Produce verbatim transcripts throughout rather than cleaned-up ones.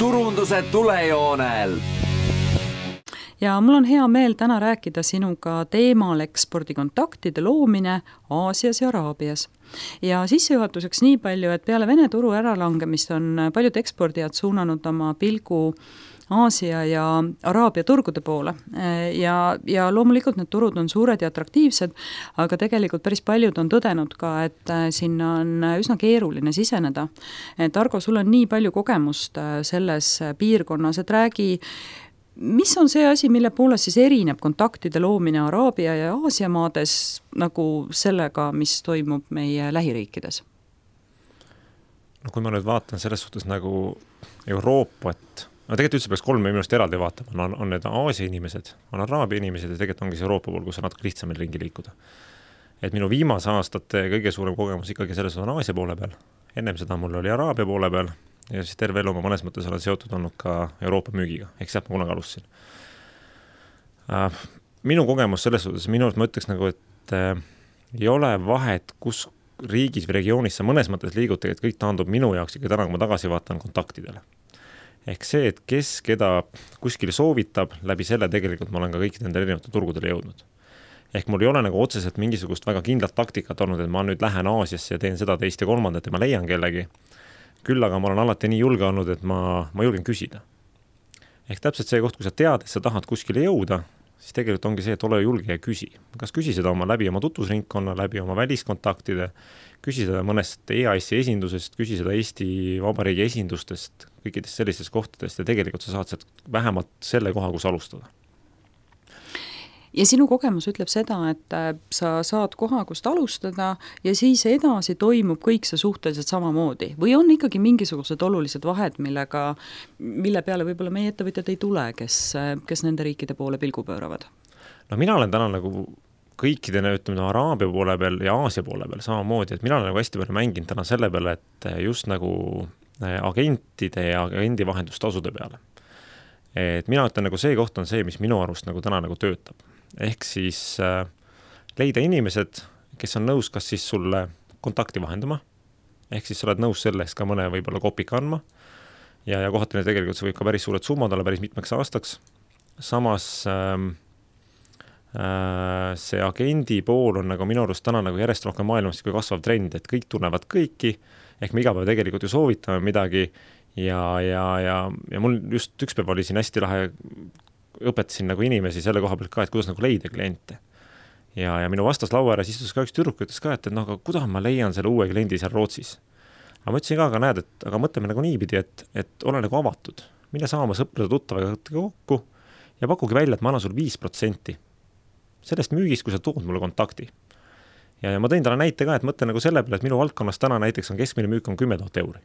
turunduse tulejoonel. Ja mul on hea meel täna rääkida sinuga teemal ekspordikontaktide loomine Aasias ja Araabias. Ja sissejuhatuseks nii palju, et peale Vene turu äralangemist on paljud ekspordijad suunanud oma pilgu Aasia ja Araabia turgude poole ja, ja loomulikult need turud on suured ja atraktiivsed, aga tegelikult päris paljud on tõdenud ka, et sinna on üsna keeruline siseneda. Et Argo, sul on nii palju kogemust selles piirkonnas, et räägi, mis on see asi, mille poolest siis erineb kontaktide loomine Araabia ja Aasia maades nagu sellega, mis toimub meie lähiriikides? No kui ma nüüd vaatan selles suhtes nagu Euroopat, no tegelikult üldse peaks kolme minust eraldi vaatama, on, on need Aasia inimesed, on Araabia inimesed ja tegelikult ongi see Euroopa pool, kus on natuke lihtsam meil ringi liikuda. Et minu viimase aastate kõige suurem kogemus ikkagi selles on Aasia poole peal. Ennem seda mul oli Araabia poole peal ja siis terve elu ma mõnes mõttes olen seotud olnud ka Euroopa müügiga, ehk sealt ma kunagi alustasin. Minu kogemus selles suhtes, minu arust ma ütleks nagu, et äh, ei ole vahet, kus riigis või regioonis sa mõnes mõttes liigud, et kõik taandub minu jaoks ikka täna, kui ma tagasi vaatan kontaktidele. Ehk see, et kes keda kuskil soovitab, läbi selle tegelikult ma olen ka kõikide nende erinevate turgudele jõudnud. Ehk mul ei ole nagu otseselt mingisugust väga kindlat taktikat olnud, et ma nüüd lähen Aasiasse ja teen seda teist ja kolmandat ja ma leian kellegi. Küll aga ma olen alati nii julge olnud, et ma, ma julgen küsida. Ehk täpselt see koht, kui sa tead, et sa tahad kuskile jõuda, siis tegelikult ongi see, et ole julge ja küsi. Kas küsi seda oma läbi oma tutvusringkonna, läbi oma väliskontaktide, küsi seda mõnest E A S-i esindusest, küsi seda Eesti Vabariigi esindustest, kõikidest sellistest kohtadest ja tegelikult sa saad sealt vähemalt selle koha, kus alustada. Ja sinu kogemus ütleb seda, et sa saad koha, kust alustada ja siis edasi toimub kõik see suhteliselt samamoodi. Või on ikkagi mingisugused olulised vahed, millega, mille peale võib-olla meie ettevõtjad ei tule, kes, kes nende riikide poole pilgu pööravad? No mina olen täna nagu kõikidena, ütleme, Araabia poole peal ja Aasia poole peal samamoodi, et mina olen nagu hästi palju mänginud täna selle peale, et just nagu agentide ja agendi vahendustasude peale. Et mina ütlen nagu see koht on see, mis minu arust nagu täna nagu töötab. Ehk siis äh, leida inimesed, kes on nõus kas siis sulle kontakti vahendama, ehk siis sa oled nõus sellest ka mõne võib-olla kopika andma ja, ja kohatine tegelikult see võib ka päris suured summad olla päris mitmeks aastaks. Samas ähm, äh, see agendi pool on nagu minu arust täna nagu järjest rohkem maailmas kui kasvav trend, et kõik tunnevad kõiki, ehk me iga päev tegelikult ju soovitame midagi ja, ja, ja, ja mul just üks päev oli siin hästi lahe õpetasin nagu inimesi selle koha pealt ka, et kuidas nagu leida kliente. Ja, ja minu vastas laua ääres istus ka üks tüdruk, ütles ka, et, et no, aga kuidas ma leian selle uue kliendi seal Rootsis. Aga ma ütlesin ka, aga näed, et aga mõtleme nagu niipidi, et, et ole nagu avatud. Mine saama sõprade tuttavaga kokku ja pakugi välja, et ma annan sul viis protsenti sellest müügist, kui sa tood mulle kontakti. Ja, ja ma tõin talle näite ka, et mõtlen nagu selle peale, et minu valdkonnas täna näiteks on keskmine müük on kümme tuhat euri.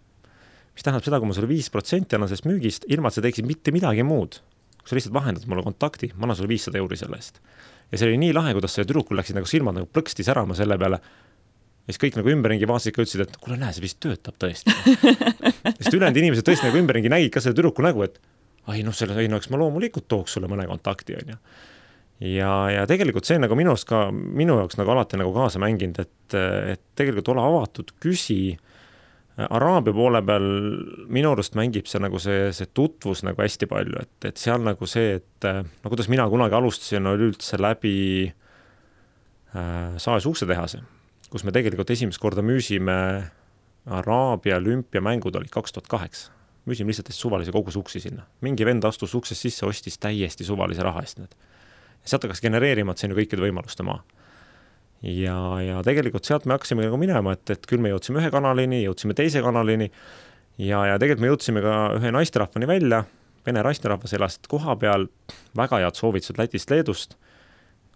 Mis tähendab seda, kui ma sulle viis protsenti annan sellest müügist, ilma et sa teeksid mitte midagi muud. Kui sa lihtsalt vahendad mulle kontakti, ma annan sulle viissada euri selle eest. Ja see oli nii lahe, kuidas see tüdrukul läksid nagu silmad nagu plõksti särama selle peale. Ja siis kõik nagu ümberringi vaatasid ka ütlesid, et kuule näe, see vist töötab tõesti. Ja siis ülejäänud inimesed tõesti nagu ümberringi nägid ka selle tüdruku nägu, et ai, noh, selle ei, no, eks ma loomulikult tooks sulle mõne kontakti. On, ja. Ja, ja tegelikult see nagu minu, ka, minu jaoks nagu alati nagu kaasa mänginud, et, et tegelikult ole avatud, küsi. Araabia poole peal minu arust mängib see, nagu see, see tutvus nagu hästi palju, et, et seal nagu see, et no kuidas mina kunagi alustasin, oli üldse läbi äh, Saes uksetehase, kus me tegelikult esimest korda müüsime Araabia olümpiamängud oli kaks tuhat kaheksa. Müüsime lihtsalt suvalise kogus uksi sinna. Mingi vend astus uksest sisse, ostis täiesti suvalise raha eest need. Ja sealt hakkas genereerima, et see on ju kõikide võimaluste maa. Ja, ja tegelikult sealt me hakkasime nagu minema, et, et küll me jõudsime ühe kanalini, jõudsime teise kanalini ja, ja tegelikult me jõudsime ka ühe naisterahvani välja, Vene naisterahvas elas koha peal, väga head soovitused Lätist, Leedust,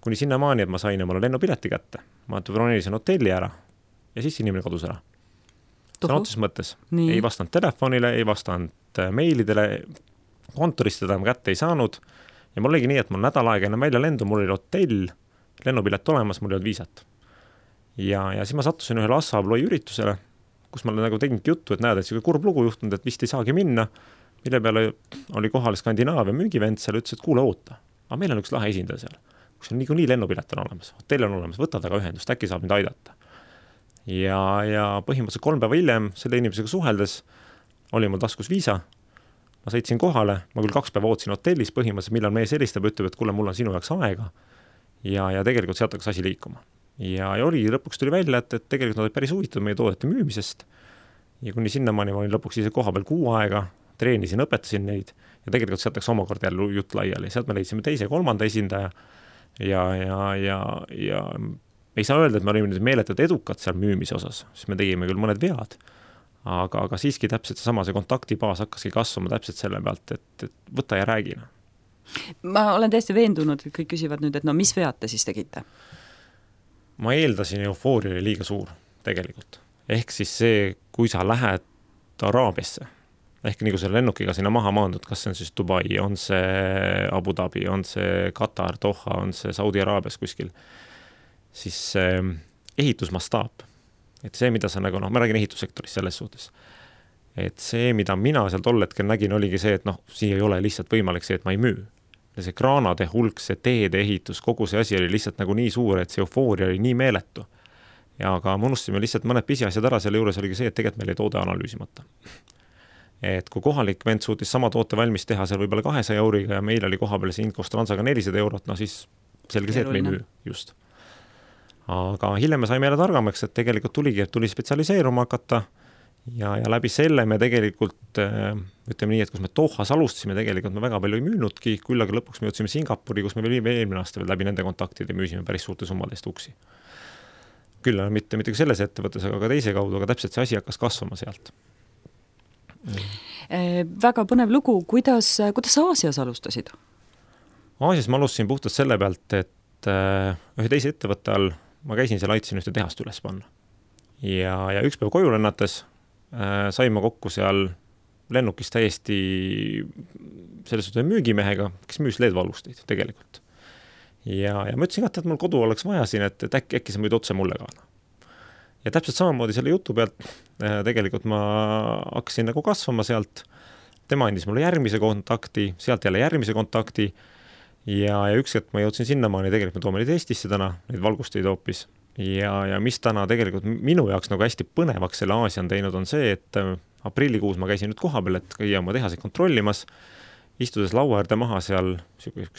kuni sinna maani, et ma sain omale lennupileti kätte. Ma bronisin hotelli ära ja siis inimene kodus ära. Sõna otses mõttes. Nii. Ei vastanud telefonile, ei vastanud meilidele, kontorist teda ma kätte ei saanud ja mul oligi nii, et mul nädal aega enne välja lendu, mul oli hotell, lennupilet olemas, mul ei olnud viisat. Ja, ja siis ma sattusin ühele Assabloi üritusele, kus ma nagu tegingi juttu, et näed, et see kurb lugu juhtunud, et vist ei saagi minna, mille peale oli kohal Skandinaavia müügivend seal, ütles, et kuule oota, aga meil on üks lahe esindaja seal, kus on niikuinii lennupilet on olemas, hotell on olemas, võta taga ühendust, äkki saab mind aidata. Ja, ja põhimõtteliselt kolm päeva hiljem selle inimesega suheldes oli mul taskus viisa, ma sõitsin kohale, ma küll kaks päeva ootasin hotellis põhimõtteliselt, millal mees helistab, ütleb, et kuule, mul on sinu jaoks aega ja, ja tegelikult sealt hakkas asi liikuma. Ja, ja oli, lõpuks tuli välja, et, et tegelikult nad olid päris huvitatud meie toodete müümisest ja kuni sinnamaani ma olin lõpuks ise koha peal kuu aega, treenisin, õpetasin neid ja tegelikult sealt läks omakorda jälle jutt laiali. Sealt me leidsime teise ja kolmanda esindaja ja, ja, ja, ja ei saa öelda, et me olime meeletult edukad seal müümise osas, sest me tegime küll mõned vead, aga, aga siiski täpselt seesama see kontaktibaas hakkaski kasvama täpselt selle pealt, et, et võta ja räägina. Ma olen täiesti veendunud, et kõik küsivad nüüd, et no mis vead te siis tegite? Ma eeldasin, eufooria oli liiga suur tegelikult. Ehk siis see, kui sa lähed Araabiasse, ehk nagu selle lennukiga sinna maha maandud, kas see on siis Dubai, on see Abu Dhabi, on see Katar, Doha, on see Saudi Araabias kuskil, siis eh, ehitusmastaap. Et see, mida sa nagu, noh, ma räägin ehitussektoris selles suhtes, et see, mida mina seal tol hetkel nägin, oligi see, et noh, siia ei ole lihtsalt võimalik see, et ma ei müü. Ja see kraanade hulk, see teede ehitus, kogu see asi oli lihtsalt nagu nii suur, et see eufooria oli nii meeletu. Ja aga me unustasime lihtsalt mõned pisiasjad ära, selle juures oligi see, et tegelikult meil ei toode analüüsimata. Et kui kohalik vend suutis sama toote valmis teha seal võib-olla kahesaja euriga ja meil oli koha peal see Inkos Transaga nelisada eurot, no siis selge see, et me ei müü just. Aga hiljem me saime jälle targamaks, et tegelikult tuligi, et tuli spetsialiseeruma hakata ja, ja läbi selle me tegelikult, ütleme nii, et kus me Dohas alustasime, tegelikult me väga palju ei müünudki, küll aga lõpuks me jõudsime Singapuri, kus me veel eelmine aasta veel läbi nende kontaktide müüsime päris suurte summadest uksi. Küll mitte, mitte selles ettevõttes, aga ka teise kaudu, aga täpselt see asi hakkas kasvama sealt. Mm. Väga põnev lugu, kuidas, kuidas Aasias alustasid? Aasias ma alustasin puhtalt selle pealt, et ühe teise ettevõtte all ma käisin seal, aitasin ühte tehast üles panna. Ja, ja üks päev koju lennates äh, sain ma kokku seal lennukis täiesti selles suhtes müügimehega, kes müüs L E D-valusteid tegelikult. Ja, ja ma ütlesin, et mul kodu oleks vaja siin, et, et äkki, äkki sa võid otse mulle ka. Ja täpselt samamoodi selle jutu pealt äh, tegelikult ma hakkasin nagu kasvama sealt. Tema andis mulle järgmise kontakti, sealt jälle järgmise kontakti ja, ja üks hetk ma jõudsin sinnamaani, tegelikult me toome neid Eestisse täna, neid valgusteid hoopis. Ja, ja mis täna tegelikult minu jaoks nagu hästi põnevaks selle Aasia on teinud, on see, et aprillikuus ma käisin nüüd koha peal, et käia oma tehaseid kontrollimas, istudes laua äärde maha seal,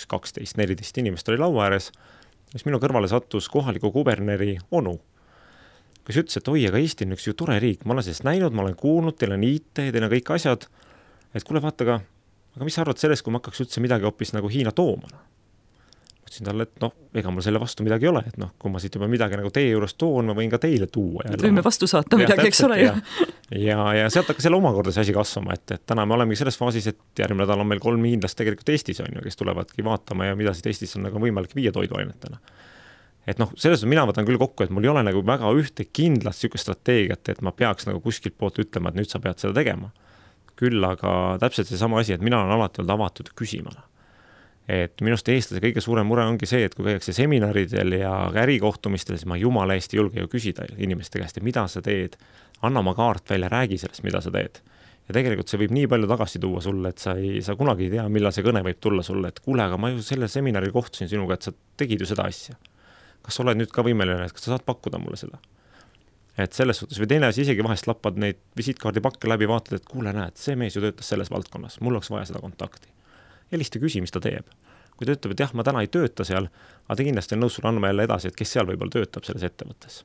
kaksteist neliteist inimest oli laua ääres, mis minu kõrvale sattus kohaliku kuberneri onu, kes ütles, et oi, aga Eesti on üks ju tore riik, ma olen sellest näinud, ma olen kuulnud, teil on I T, teil on kõik asjad, et kuule vaata, aga, aga mis sa arvad sellest, kui ma hakkaks üldse midagi hoopis nagu Hiina tooma? Mõtlesin talle, et noh, ega mul selle vastu midagi ei ole, et noh, kui ma siit juba midagi nagu teie juures toon, ma võin ka teile tuua. Et võime vastu saata ja, midagi, eks ole. Ja, ja, ja sealt hakkas selle omakorda see asi kasvama, et, et täna me olemegi selles faasis, et järgmine nädal on meil kolm hiinlast tegelikult Eestis on ju, kes tulevadki vaatama ja mida siit Eestis on nagu võimalik viia toiduainetena. Et noh, selles mina võtan küll kokku, et mul ei ole nagu väga ühte kindlat siuke strateegiat, et ma peaks nagu kuskilt poolt ütlema, et nüüd sa pead seda tegema. Küll aga täpselt see sama asi, et mina olen alati olnud avatud küsimana. Et minust eestlase kõige suurem mure ongi see, et kui käiakse seminaridel ja ärikohtumistel, siis ma jumala Eesti julge ju küsida inimeste käest, et mida sa teed, anna oma kaart välja, räägi sellest, mida sa teed. Ja tegelikult see võib nii palju tagasi tuua sulle, et sa, ei, sa kunagi ei tea, millal see kõne võib tulla sulle, et kuule, aga ma ju selle seminaril kohtusin sinuga, et sa tegid ju seda asja. Kas sa oled nüüd ka võimeline, et kas sa saad pakkuda mulle seda? Et selles suhtes või teine asi isegi vahest lappad neid visiitkaardipakke läbi, vaatad, et kuule näed, see mees ju töötas selles valdkonnas, mul oleks vaja seda kontakti. Helista küsi, mis ta teeb. Kui ta ütleb, et jah, ma täna ei tööta seal, aga ta kindlasti on nõus sulle andma jälle edasi, et kes seal võib-olla töötab selles ettevõttes.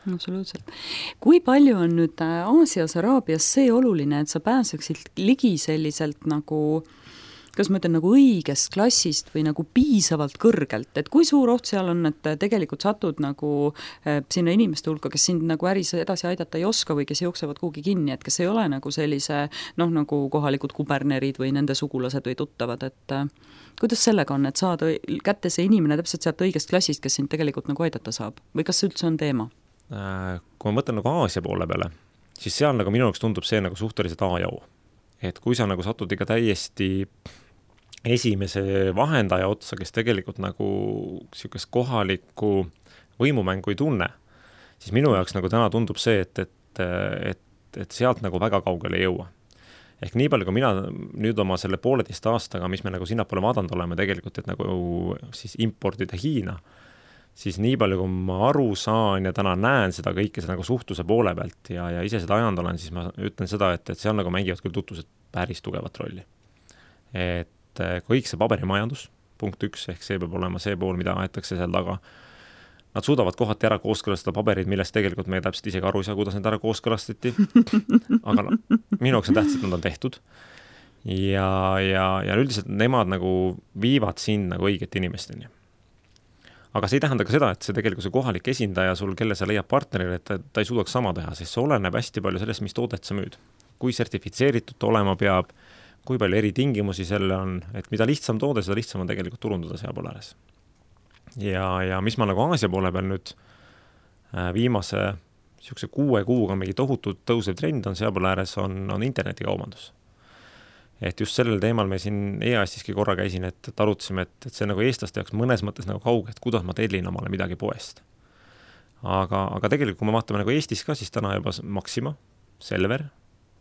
Absoluutselt. Kui palju on nüüd Aasias, Araabias see oluline, et sa pääseksid ligi selliselt nagu, kas ma ütlen, nagu õigest klassist või nagu piisavalt kõrgelt, et kui suur oht seal on, et tegelikult satud nagu sinna inimeste hulka, kes sind nagu äris edasi aidata ei oska või kes jooksevad kuhugi kinni, et kes ei ole nagu sellise, noh, nagu kohalikud kubernerid või nende sugulased või tuttavad, et kuidas sellega on, et saada kätte see inimene täpselt sealt õigest klassist, kes sind tegelikult nagu aidata saab või kas see üldse on teema? Kui ma mõtlen nagu Aasia poole peale, siis seal nagu minu jaoks tundub see nagu suhteliselt A ja O. Et kui sa nagu satud ikka täiesti esimese vahendaja otsa, kes tegelikult nagu siukest kohalikku võimumängu ei tunne, siis minu jaoks nagu täna tundub see, et, et, et, et sealt nagu väga kaugele ei jõua. Ehk nii palju, kui mina nüüd oma selle pooleteist aastaga, mis me nagu sinnapoole vaadanud oleme tegelikult, et nagu siis importida Hiina, siis nii palju, kui ma aru saan ja täna näen seda kõike seda nagu suhtluse poole pealt ja, ja ise seda ajanud olen, siis ma ütlen seda, et, et seal nagu mängivad küll tutvused päris tugevat rolli. Et kõik see paberimajandus, punkt üks, ehk see peab olema see pool, mida aetakse seal taga. Nad suudavad kohati ära kooskõlastada paberid, millest tegelikult me täpselt isegi aru ei saa, kuidas need ära kooskõlastati. Aga no, minu jaoks on tähtsad, nad on tehtud. Ja, ja, ja üldiselt nemad nagu viivad sind nagu õiget inimesteni. Aga see ei tähenda ka seda, et see tegelikult see kohalik esindaja sul, kelle sa leiab partnerile, et ta, ta ei suudaks sama teha, sest see oleneb hästi palju sellest, mis toodet sa müüd. Kui sertifitseeritud ta olema peab, kui palju eri tingimusi selle on, et mida lihtsam toode, seda lihtsam on tegelikult turundada seal pool ääres. Ja, ja mis ma nagu Aasia poole peal nüüd viimase siukse kuue kuuga mingi tohutult tõusev trend on seal pool ääres, on, on internetikaubandus. Et just sellel teemal me siin E A S-iski korra käisin, et, et arutasime, et, et see nagu eestlaste jaoks mõnes mõttes nagu kauge, et kuidas ma tellin omale midagi poest. Aga, aga tegelikult, kui me vaatame nagu Eestis ka, siis täna juba Maxima, Selver,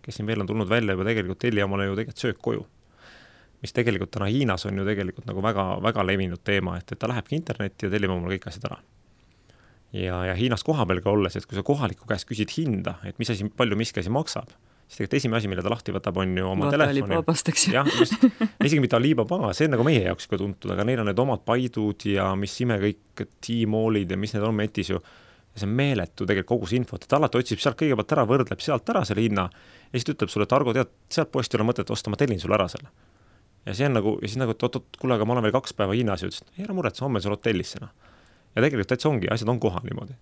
kes siin veel on tulnud välja juba tegelikult telli omale ju tegelikult söök koju. Mis tegelikult täna Hiinas on ju tegelikult nagu väga, väga levinud teema, et, et ta lähebki internetti ja tellib omale kõik asjad ära. Ja, ja Hiinas koha peal ka olles, et kui sa kohaliku käest küsid hinda, et mis asi, palju miski asi maksab, siis tegelikult esimene asi, mille ta lahti võtab, on ju oma Vaata telefoni. ja, just, isegi mitte Alibaba, see on nagu meie jaoks ka tuntud, aga neil on need omad Paidud ja mis ime kõik T-Mallid ja mis need on metis ju. Ja see on meeletu tegelikult kogu see infot, et alati otsib sealt kõigepealt ära, võrdleb sealt ära selle hinna ja siis ütleb sulle, et Argo, tead, sealt poest ei ole mõtet osta, ma tellin sulle ära selle. Ja see on nagu, ja siis nagu, et oot-oot, kuule, aga ma olen veel kaks päeva Hiinas ja ütles, et ei ära muret, homme sul hotellis sena. Ja tegelikult täitsa ongi, asjad on kohal niimoodi.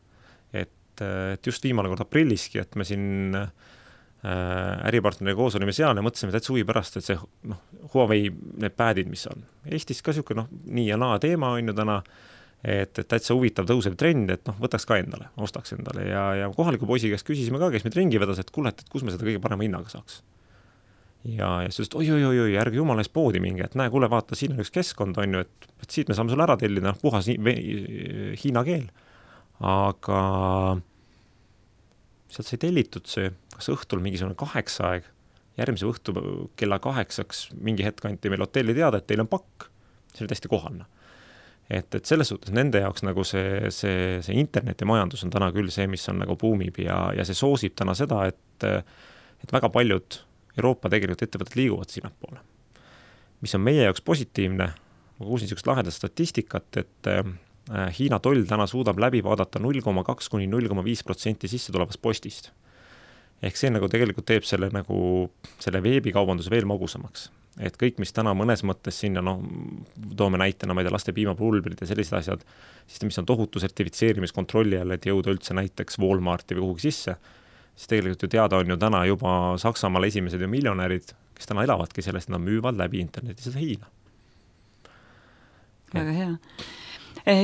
Et, et just viimane kord aprilliski, et me siin äripartneri koos olime seal ja mõtlesime täitsa huvi pärast, et see noh, Huawei need päädid, mis on. Eestis ka siuke noh, nii ja naa teema on ju täna, et, et täitsa huvitav tõusev trend, et noh, võtaks ka endale, ostaks endale ja, ja kohaliku poisi käest küsisime ka, kes meid ringi vedas, et kuule, et kus me seda kõige parema hinnaga saaks. Ja, ja siis oi, oi, oi, oi, ärge jumala ees poodi mingi, et näe, kuule, vaata, siin on üks keskkond, on ju, et, et siit me saame sulle ära tellida, puhas hiina keel. Aga sealt sai tellitud see, kas õhtul mingisugune kaheksa aeg, järgmise õhtu kella kaheksaks mingi hetk anti meil hotelli teada, et teil on pakk, see oli täiesti kohalne. Et, et selles suhtes nende jaoks nagu see, see, see internetimajandus on täna küll see, mis on nagu buumib ja, ja see soosib täna seda, et, et väga paljud Euroopa tegelikult ettevõtted liiguvad sinna poole. Mis on meie jaoks positiivne, ma kuulsin niisugust lahedat statistikat, et Hiina toll täna suudab läbi vaadata null koma kaks kuni null koma viis protsenti sisse tulevast postist. Ehk see nagu tegelikult teeb selle, nagu, selle veebikaubanduse veel magusamaks. Et kõik, mis täna mõnes mõttes sinna, noh, toome näitena, ma ei tea, laste piimapulbrid ja sellised asjad, siis mis on tohutu sertifitseerimiskontrolli all, et jõuda üldse näiteks Walmarti või kuhugi sisse, siis tegelikult ju teada on ju täna juba Saksamaal esimesed ju miljonärid, kes täna elavadki sellest, nad müüvad läbi interneti seda Hiina. Väga hea.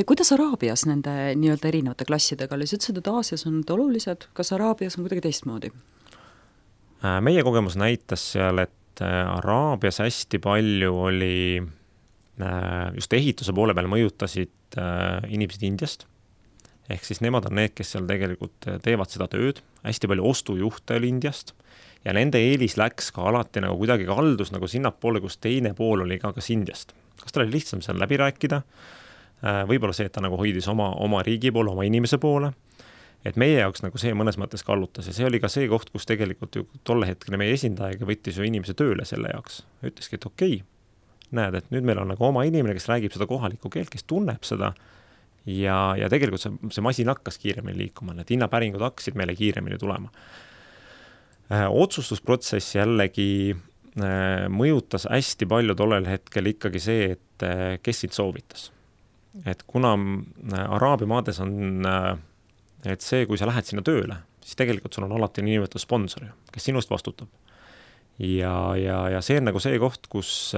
Kuidas Araabias nende nii-öelda erinevate klassidega oli? Sa ütlesid, et Aasias on need olulised, kas Araabias on kuidagi teistmoodi? Meie kogemus näitas seal, et Araabias hästi palju oli just ehituse poole peal mõjutasid inimesed Indiast. Ehk siis nemad on need, kes seal tegelikult teevad seda tööd. Hästi palju ostujuhte oli Indiast ja nende eelis läks ka alati nagu kuidagi kaldus nagu sinnapoole, kus teine pool oli ka kas Indiast. Kas ta oli lihtsam seal läbi rääkida? Võib-olla see, et ta nagu hoidis oma, oma riigi poole, oma inimese poole. Et meie jaoks nagu see mõnes mõttes kallutas ja see oli ka see koht, kus tegelikult ju tolle hetkele meie esindajaga võttis ju inimese tööle selle jaoks. Ütleski, et okei, näed, et nüüd meil on nagu oma inimene, kes räägib seda kohalikku keelt, kes tunneb seda ja, ja tegelikult see, see masin hakkas kiiremini liikuma, need hinnapäringud hakkasid meile kiiremini tulema. Otsustusprotsess jällegi mõjutas hästi palju tollel hetkel ikkagi see, et kes sind soovitas. Et kuna Araabia maades on, et see, kui sa lähed sinna tööle, siis tegelikult sul on alati niinimetatud sponsor, kes sinust vastutab. Ja, ja, ja see on nagu see koht, kus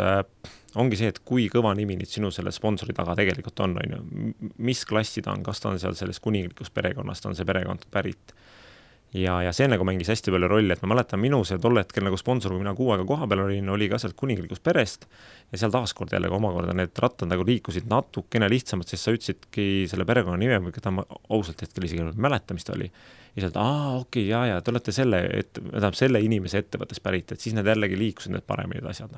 ongi see, et kui kõva nimi nüüd sinu selle sponsori taga tegelikult on, on ju, mis klassi ta on, kas ta on seal selles kuninglikus perekonnast, on see perekond pärit. Ja, ja see nagu mängis hästi palju rolli, et ma mäletan minu see tolle hetkel nagu sponsor, kui mina kuu aega koha peal olin, oli ka sealt kuninglikust perest ja seal taaskord jälle omakorda need rattad nagu liikusid natukene lihtsamalt, sest sa ütlesidki selle perekonna nime, või keda ma ausalt hetkel isegi mäleta, mis ta oli. Ja sealt, aa, okei, jaa, jaa, te olete selle, et, selle inimese ettevõttes pärit, et siis need jällegi liikusid need paremini asjad.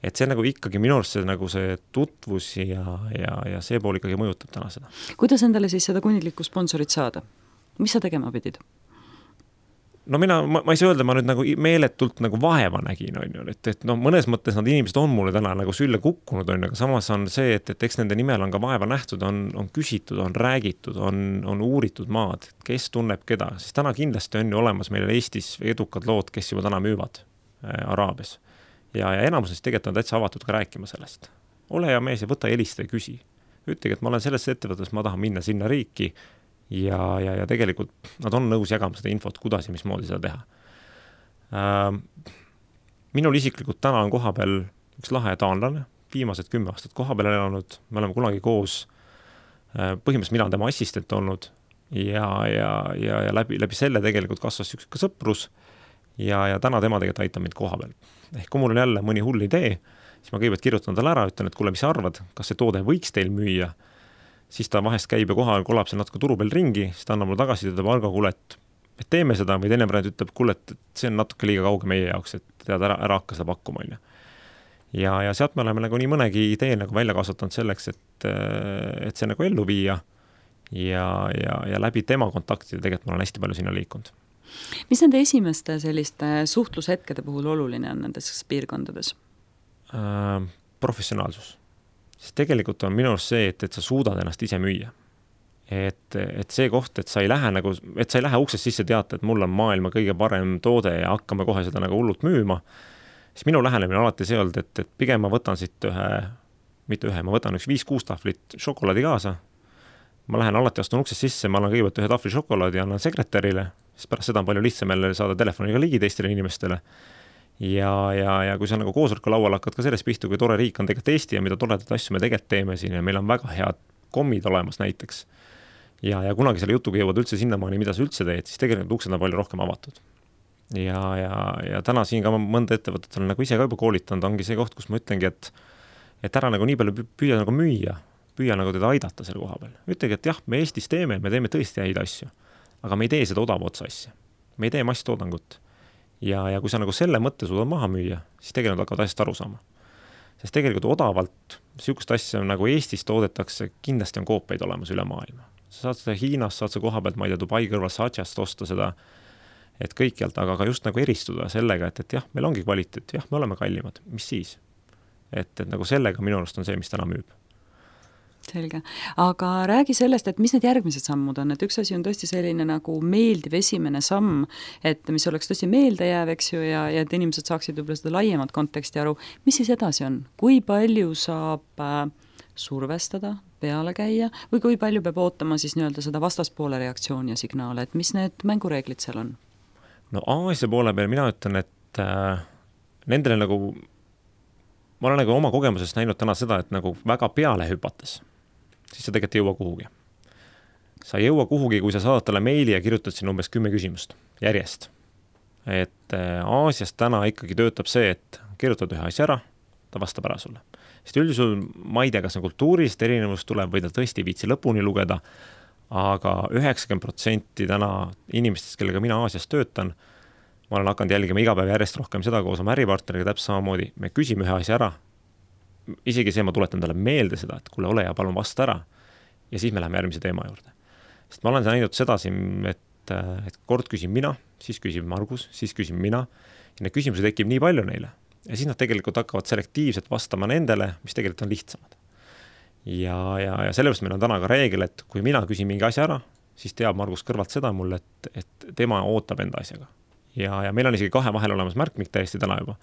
Et see nagu ikkagi minu arust see, nagu see tutvus ja, ja, ja see pool ikkagi mõjutab täna seda. Kuidas endale siis seda kuninglikku sponsorit saada? Mis sa tegema pidid? no mina, ma, ma ei saa öelda, ma nüüd nagu meeletult nagu vaeva nägin, on ju, et, et no mõnes mõttes nad inimesed on mulle täna nagu sülle kukkunud, on ju, aga samas on see, et, et eks nende nimel on ka vaeva nähtud, on, on küsitud, on räägitud, on, on uuritud maad, kes tunneb keda, siis täna kindlasti on ju olemas meil Eestis edukad lood, kes juba täna müüvad äh, Araabias. Ja, ja enamus neist tegelikult on täitsa avatud ka rääkima sellest. Ole hea mees ja võta helista ja küsi. Ütlegi, et ma olen selles ettevõttes, ma tahan minna sinna riiki, Ja, ja, ja tegelikult nad on nõus jagama seda infot, kuidas ja mismoodi seda teha. Ähm, minul isiklikult täna on koha peal üks lahe taanlane, viimased kümme aastat koha peal elanud, me oleme kunagi koos, äh, põhimõtteliselt mina on tema assistent olnud ja, ja, ja, ja läbi, läbi selle tegelikult kasvas üks ka sõprus ja, ja täna tema tegelikult aitab mind koha peal. Ehk kui mul on jälle mõni hull idee, siis ma kõigepealt kirjutan talle ära, ütlen, et kuule, mis sa arvad, kas see toode võiks teil müüa, siis ta vahest käib ja kohal kolab seal natuke turu peal ringi, siis ta annab mulle tagasi, ütleb, Argo, kuule, et, et teeme seda, või teine variant ütleb, kuule, et see on natuke liiga kauge meie jaoks, et tead, ära, ära hakka seda pakkuma. Ja, ja sealt me oleme nagu nii mõnegi idee nagu välja kasvatanud selleks, et, et see nagu ellu viia ja, ja, ja läbi tema kontaktide tegelikult ma olen hästi palju sinna liikunud. Mis nende esimeste selliste suhtlushetkede puhul oluline on nendes piirkondades? Äh, professionaalsus. Siis tegelikult on minu arust see, et, et sa suudad ennast ise müüa. Et, et see koht, et sa ei lähe nagu, et sa ei lähe uksest sisse teata, et mul on maailma kõige parem toode ja hakkame kohe seda nagu hullult müüma, siis minu lähenemine alati see olnud, et, et pigem ma võtan siit ühe, mitte ühe, ma võtan üks viis-kuus tahvlit šokolaadi kaasa, ma lähen alati astun uksest sisse, ma annan kõigepealt ühe tahvli šokolaadi ja annan sekretärile, siis pärast seda on palju lihtsam jälle saada telefoniga ligi teistele inimestele. Ja, ja, ja kui sa nagu koosoleku laual hakkad ka sellest pihtu, kui tore riik on tegelikult Eesti ja mida toredat asju me tegelikult teeme siin ja meil on väga head kommid olemas näiteks. Ja, ja kunagi selle jutuga jõuad üldse sinnamaani, mida sa üldse teed, siis tegelikult uksed on palju rohkem avatud. Ja, ja, ja täna siin ka mõnda ettevõtet olen nagu ise ka juba koolitanud, ongi see koht, kus ma ütlengi, et, et ära nagu nii palju püüa nagu müüa, püüa nagu teda aidata selle koha peal. Ütlegi, et jah, me Eestis teeme, me teeme tõesti häid asju, aga me ei tee seda odava otsa asja. Me ei tee masstoodangut. Ja, ja kui sa nagu selle mõtte suudad maha müüa, siis tegelikult hakkavad asjast aru saama. Sest tegelikult odavalt sihukest asja nagu Eestis toodetakse, kindlasti on koopeid olemas üle maailma. Sa saad seda Hiinas, saad sa koha pealt, ma ei tea, Dubai kõrval Saatšast osta seda, et kõikjalt, aga ka just nagu eristuda sellega, et, et jah, meil ongi kvaliteet, jah, me oleme kallimad, mis siis? Et, et nagu sellega minu arust on see, mis täna müüb. Selge. Aga räägi sellest, et mis need järgmised sammud on, et üks asi on tõesti selline nagu meeldiv esimene samm, et mis oleks tõesti meeldejääv, eks ju, ja, ja et inimesed saaksid võib-olla seda laiemat konteksti aru. Mis siis edasi on? Kui palju saab äh, survestada, peale käia või kui palju peab ootama siis nii-öelda seda vastaspoole reaktsiooni ja signaale, et mis need mängureeglid seal on? No Aasia poole peal mina ütlen, et äh, nendele nagu, ma olen nagu oma kogemusest näinud täna seda, et nagu väga peale hüpates, siis sa tegelikult ei jõua kuhugi. Sa ei jõua kuhugi, kui sa saadad talle meili ja kirjutad siin umbes kümme küsimust järjest. Et Aasias täna ikkagi töötab see, et kirjutad ühe asja ära, ta vastab ära sulle. Sest üldisul ma ei tea, kas on kultuurist erinevus tuleb või ta tõesti viitsi lõpuni lugeda, aga üheksakümmend protsenti täna inimestest, kellega mina Aasias töötan, ma olen hakanud jälgima iga päev järjest rohkem seda koos oma äripartneriga täpselt samamoodi, me küsime ühe asja ära, isegi see ma tuletan talle meelde seda, et kuule, ole ja palun vasta ära ja siis me läheme järgmise teema juurde. Sest ma olen näinud seda siin, et, et kord küsin mina, siis küsib Margus, siis küsin mina ja need küsimused tekib nii palju neile ja siis nad tegelikult hakkavad selektiivselt vastama nendele, mis tegelikult on lihtsamad. Ja, ja, ja sellepärast meil on täna ka reegel, et kui mina küsin mingi asja ära, siis teab Margus kõrvalt seda mulle, et, et tema ootab enda asjaga. Ja, ja meil on isegi kahe vahel olemas märkmik täiesti täna juba.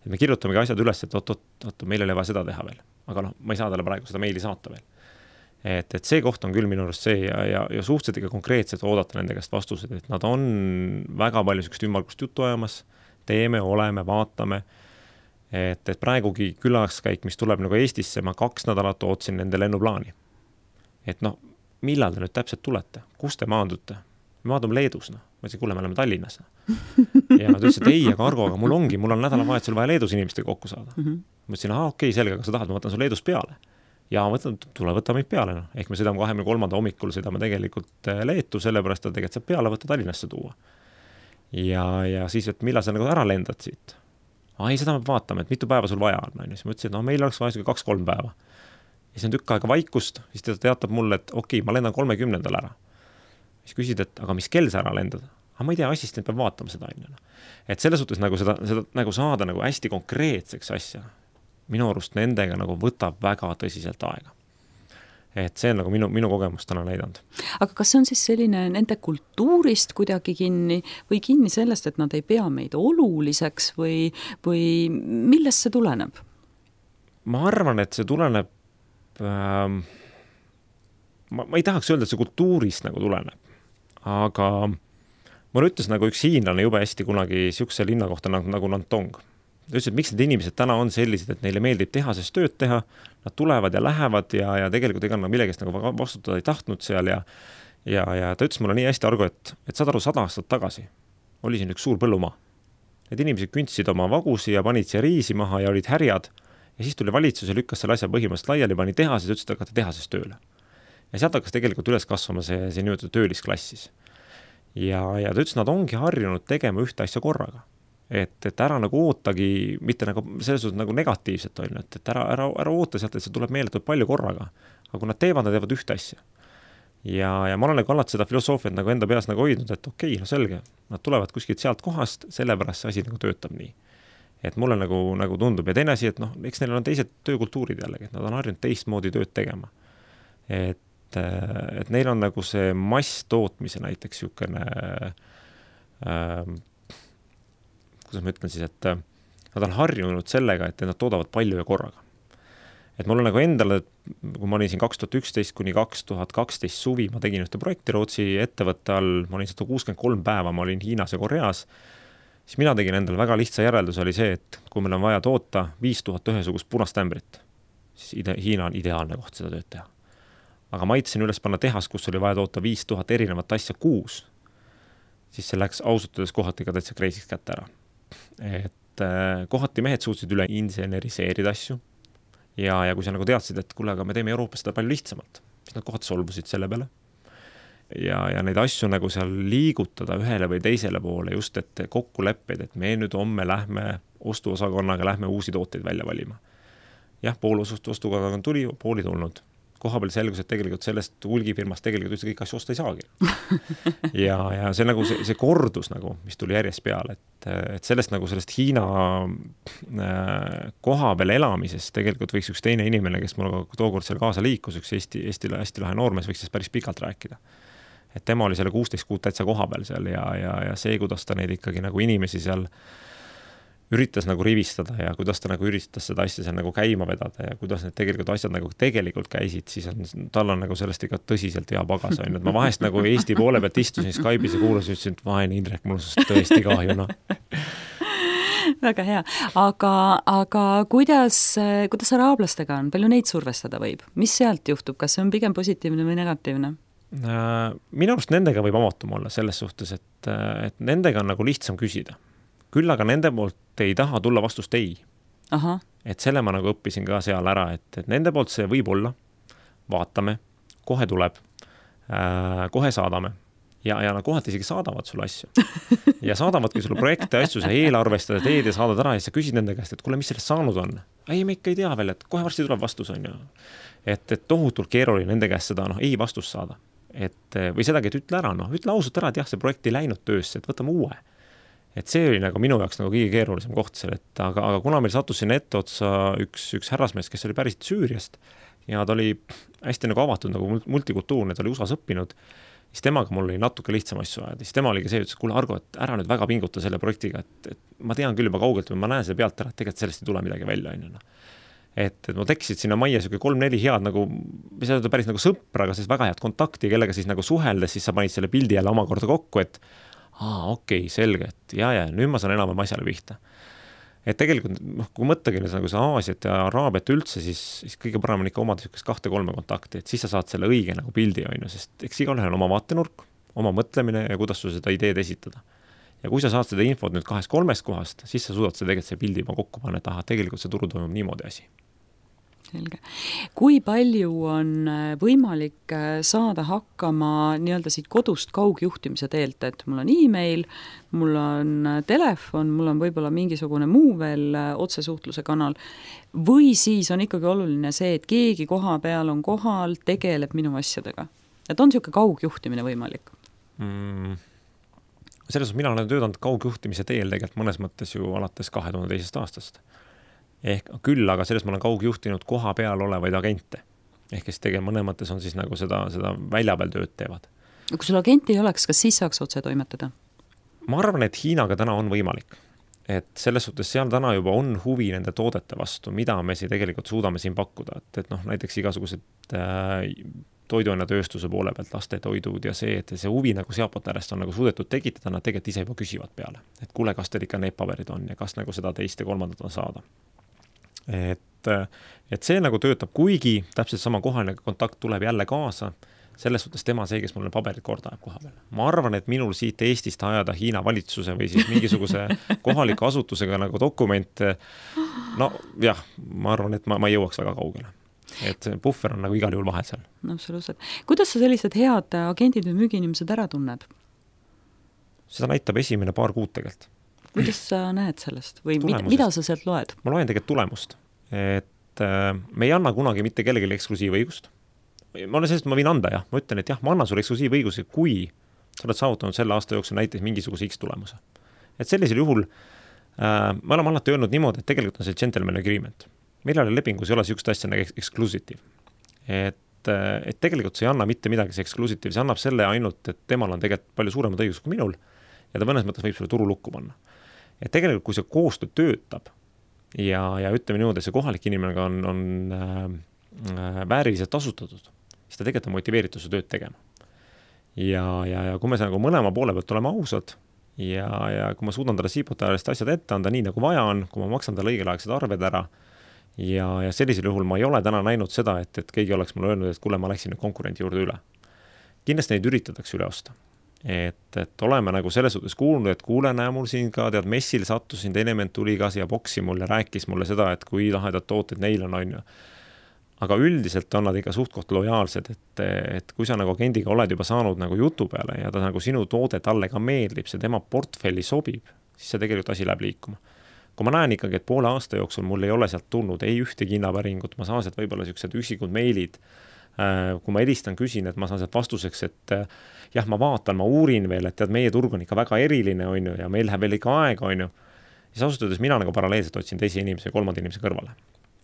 Et me kirjutamegi asjad üles, et oot, oot, oot, meil ei ole vaja seda teha veel. Aga noh, ma ei saa talle praegu seda meili saata veel. Et, et see koht on küll minu arust see ja, ja, ja suhteliselt ikka konkreetselt oodata nende käest vastused, et nad on väga palju sükest ümmargust juttu ajamas, teeme, oleme, vaatame, et, et praegugi külaskäik, mis tuleb nagu Eestisse, ma kaks nädalat ootsin nende lennuplaani. Et noh, millal te nüüd täpselt tulete? Kus te maandute? Me maadum Leedus, noh. Ma ütlesin, kuule, me oleme Tallinnas. Ja nad ütlesid, et ei, aga Argo, aga mul ongi, mul on nädalavahetusel vaja Leedus inimestega kokku saada. Mm -hmm. Ma ütlesin, aha, okei, selge, aga sa tahad, ma võtan su Leedus peale. Ja võtan, tule võtta meid peale. No. Ehk me sõidame kahekümne kolmanda hommikul, sõidame tegelikult Leetu, sellepärast, et tegelikult saab peale võtta Tallinnasse tuua. Ja, ja siis, et millal sa nagu ära lendad siit? Ah, ei, seda me vaatame, et mitu päeva sul vaja on. Siis ma ütlesin, et no, meil oleks vaja kaks-kolm päeva. Ja siis on tükk aega vaikust, siis ta teatab mulle, et okei, ma lendan kolmekümnendal ära. Siis küsid, et aga mis kell sa ära lendad? aga ma ei tea, assistent peab vaatama seda ainult. Et selles suhtes nagu seda, seda nagu saada nagu hästi konkreetseks asja, minu arust nendega nagu võtab väga tõsiselt aega. Et see on nagu minu, minu kogemus täna näidanud. Aga kas see on siis selline nende kultuurist kuidagi kinni või kinni sellest, et nad ei pea meid oluliseks või, või millest see tuleneb? Ma arvan, et see tuleneb ähm, ma, ma ei tahaks öelda, et see kultuurist nagu tuleneb, aga mulle ütles nagu üks hiinlane jube hästi kunagi siukse linna kohta nagu, nagu Nantong. Ta ütles, et miks need inimesed täna on sellised, et neile meeldib tehases tööd teha, nad tulevad ja lähevad ja, ja tegelikult ega nad millegest nagu vastutada ei tahtnud seal ja, ja, ja ta ütles mulle nii hästi argu, et, et saad aru, sada aastat tagasi oli siin üks suur põllumaa. Need inimesed küntsid oma vagusi ja panid siia riisi maha ja olid härjad ja siis tuli valitsus ja lükkas selle asja põhimõtteliselt laiali, pani tehases ja ütles, et hakata tehases tööle. Ja sealt hakkas tegelikult üles kasvama see, see nimetatud töölisklassis. Ja, ja ta ütles, nad ongi harjunud tegema ühte asja korraga. Et, et ära nagu ootagi, mitte nagu selles suhtes nagu negatiivselt on, et, et ära, ära, ära oota sealt, et see tuleb meeletult palju korraga. Aga kui nad teevad, nad teevad ühte asja. Ja, ja ma olen nagu alati seda filosoofiat nagu enda peas nagu hoidnud, et okei, no selge, nad tulevad kuskilt sealt kohast, sellepärast see asi nagu töötab nii. Et mulle nagu, nagu tundub. Ja teine asi, et noh, eks neil on teised töökultuurid jällegi, et nad on harjunud teistmoodi tööd tegema. Et, et neil on nagu see mass tootmise näiteks siukene äh, kuidas ma ütlen siis, et nad on harjunud sellega, et nad toodavad palju ja korraga. Et mul on nagu endale, kui ma olin siin kaks tuhat üksteist kuni kaks tuhat kaksteist suvi, ma tegin ühte projekti Rootsi ettevõtte all, ma olin sada kuuskümmend kolm päeva, ma olin Hiinas ja Koreas, siis mina tegin endale väga lihtsa järeldus oli see, et kui meil on vaja toota viis tuhat ühesugust punast ämbrit, siis ide- Hiina on ideaalne koht seda tööd teha. Aga ma aitasin üles panna tehas, kus oli vaja toota viis tuhat erinevat asja kuus, siis see läks ausutades kohati ka täitsa kreisiks kätte ära. Et äh, kohati mehed suutsid üle inseneriseerida asju ja, ja kui sa nagu teadsid, et kuule, aga me teeme Euroopas seda palju lihtsamalt, siis nad kohati solvusid selle peale ja, ja neid asju nagu seal liigutada ühele või teisele poole just, et kokku leppeid, et me nüüd homme lähme ostuosakonnaga, lähme uusi tooteid välja valima. Jah, pool ostuosakonnaga tuli, pool ei tulnud. Koha peal selgus, et tegelikult sellest hulgifirmast tegelikult üldse kõik asju osta ei saagi. ja, ja see nagu see, see kordus nagu, mis tuli järjest peale, et, et sellest nagu sellest Hiina äh, koha peal elamisest tegelikult võiks üks teine inimene, kes mul tookord seal kaasa liikus, üks Eesti, Eesti, Eesti lahe noormees võiks päris pikalt rääkida. Et tema oli selle kuusteist kuud täitsa koha peal seal ja, ja, ja see, kuidas ta neid ikkagi nagu inimesi seal üritas nagu rivistada ja kuidas ta nagu üritas seda asja seal nagu käima vedada ja kuidas need tegelikult asjad nagu tegelikult käisid, siis on, tal on nagu sellest ikka tõsiselt hea pagas on. Et ma vahest nagu Eesti poole pealt istusin Skype'is ja kuulasin, ütlesin, et vaene Indrek, mul on tõesti kahju, no. Väga hea, aga, aga kuidas, kuidas araablastega on? Palju neid survestada võib? Mis sealt juhtub? Kas see on pigem positiivne või negatiivne? Minu arust nendega võib avatum olla selles suhtes, et, et nendega on nagu lihtsam küsida. Küll aga nende poolt ei taha tulla vastust ei. Aha. Et selle ma nagu õppisin ka seal ära, et, et nende poolt see võib olla, vaatame, kohe tuleb, äh, kohe saadame ja, ja nad kohati isegi saadavad sulle asju. Ja saadavadki sulle projekte asju, sa eelarvestada teed ja saadad ära ja sa küsid nende käest, et kuule, mis sellest saanud on? Ei, me ikka ei tea veel, et kohe varsti tuleb vastus on ju. Et, et tohutult keeruline nende käest seda no, ei vastust saada. Et, või sedagi, et ütle ära, no, ütle ausalt ära, et jah, see projekt ei läinud töösse, et võtame uue. Et see oli nagu minu jaoks nagu kõige keerulisem koht seal, et aga, aga kuna meil sattus sinna ette otsa üks, üks härrasmees, kes oli päriselt Süüriast ja ta oli hästi nagu avatud nagu multikultuurne, ta oli U S A-s õppinud, siis temaga mul oli natuke lihtsam asju ajada. Siis tema oligi see, ütles, kuule Argo, et ära nüüd väga pinguta selle projektiga, et, et ma tean küll juba kaugelt või ma näen selle pealt ära, et tegelikult sellest ei tule midagi välja. Et, et ma tekkisid sinna majja siuke kolm-neli head nagu, mis öelda päris nagu sõpra, aga siis väga head kontakti, kellega siis nagu suheldes, siis sa panid selle pildi jälle omakorda kokku, et aa, okei, selge, et ja, ja nüüd ma saan enam asjale pihta. Et tegelikult, noh, kui mõttagi nagu see Aasiat ja Araabiat üldse, siis, siis kõige parem on ikka omada siukest kahte-kolme kontakti, et siis sa saad selle õige nagu pildi, on ju, sest eks igalühel on oma vaatenurk, oma mõtlemine ja kuidas su seda ideed esitada. Ja kui sa saad seda infot nüüd kahest-kolmest kohast, siis sa suudad see tegelikult see pildi juba kokku panna, et aha, tegelikult see turu toimub niimoodi asi. Selge. Kui palju on võimalik saada hakkama nii-öelda siit kodust kaugjuhtimise teelt, et mul on e-mail, mul on telefon, mul on võib-olla mingisugune muu veel otsesuhtluse kanal või siis on ikkagi oluline see, et keegi koha peal on kohal, tegeleb minu asjadega. Et on siuke kaugjuhtimine võimalik? Mm. selles mõttes mina olen töötanud kaugjuhtimise teel tegelikult mõnes mõttes ju alates kahe tuhande teisest aastast. Ehk küll, aga selles ma olen kaugjuhtinud koha peal olevaid agente. Ehk kes tegema mõne mõttes on siis nagu seda, seda välja peal tööd teevad. Kui sul agenti ei oleks, kas siis saaks otse toimetada? Ma arvan, et Hiinaga täna on võimalik. Et selles suhtes seal täna juba on huvi nende toodete vastu, mida me siin tegelikult suudame siin pakkuda. Et, et noh, näiteks igasugused äh, toiduainetööstuse poole pealt lastetoidud ja see, et see huvi nagu sealpooltärest on nagu suudetud tekitada, nad tegelikult ise juba küsivad peale. Et kuule, kas teil ikka need paberid on ja kas nagu seda teist ja kolmandat on saada. Et, et see nagu töötab, kuigi täpselt sama kohaline kontakt tuleb jälle kaasa, selles suhtes tema see, kes mulle paberid korda ajab koha peal. Ma arvan, et minul siit Eestist ajada Hiina valitsuse või siis mingisuguse kohaliku asutusega nagu dokument, no jah, ma arvan, et ma, ma ei jõuaks väga kaugele. Et puffer on nagu igal juhul vahel seal. No absoluutselt. Kuidas sa sellised head agendid või müügiinimesed ära tunned? Seda näitab esimene paar kuud tegelikult. Kuidas sa näed sellest? Või mida, mida sa sealt loed? Ma loen tegelikult tulemust. Et äh, me ei anna kunagi mitte kellelegi eksklusiivõigust. Ma olen sellest, ma võin anda, jah. Ma ütlen, et jah, ma annan sulle eksklusiivõiguse, kui sa oled saavutanud selle aasta jooksul näiteks mingisuguse X tulemuse. Et sellisel juhul äh, me oleme alati öelnud niimoodi, et tegelikult on see gentleman agreement. Millal lepingus ei ole sihukest asja nagu exclusive. Et, et tegelikult see ei anna mitte midagi see exclusive, see annab selle ainult, et temal on tegelikult palju suuremad õigus kui minul ja ta mõnes mõttes võib sulle turu lukku panna. Et tegelikult, kui see koostöö töötab ja, ja ütleme niimoodi, et see kohalik inimene on, on äh, vääriliselt tasutatud, siis ta tegelikult on motiveeritud su tööd tegema. Ja, ja, ja kui me nagu mõlema poole pealt oleme ausad ja, ja kui ma suudan talle siipotajast asjad ette anda nii nagu vaja on, kui ma maksan talle õigelaegsed arved ära, Ja, ja sellisel juhul ma ei ole täna näinud seda, et, et keegi oleks mulle öelnud, et kuule, ma läksin nüüd konkurendi juurde üle. Kindlasti neid üritatakse üle osta. Et, et oleme nagu selles suhtes kuulnud, et kuule, näe mul siin ka tead messil sattusin, teine ment tuli ka siia boksi mulle, rääkis mulle seda, et kui lahedad tooted neil on, on ju. Aga üldiselt on nad ikka suht-koht lojaalsed, et, et kui sa nagu agendiga oled juba saanud nagu jutu peale ja ta nagu sinu toode talle ka meeldib, see tema portfelli sobib, siis see tegelikult asi läheb liikuma. Kui ma näen ikkagi, et poole aasta jooksul mul ei ole sealt tulnud, ei ühtegi hinnapäringut, ma saan sealt võib-olla sellised üksikud meilid, kui ma helistan, küsin, et ma saan sealt vastuseks, et jah, ma vaatan, ma uurin veel, et tead, meie turg on ikka väga eriline, on ju, ja meil läheb veel ikka aega, on ju. Siis asutades mina nagu paralleelselt otsin teisi inimese ja kolmanda inimese kõrvale.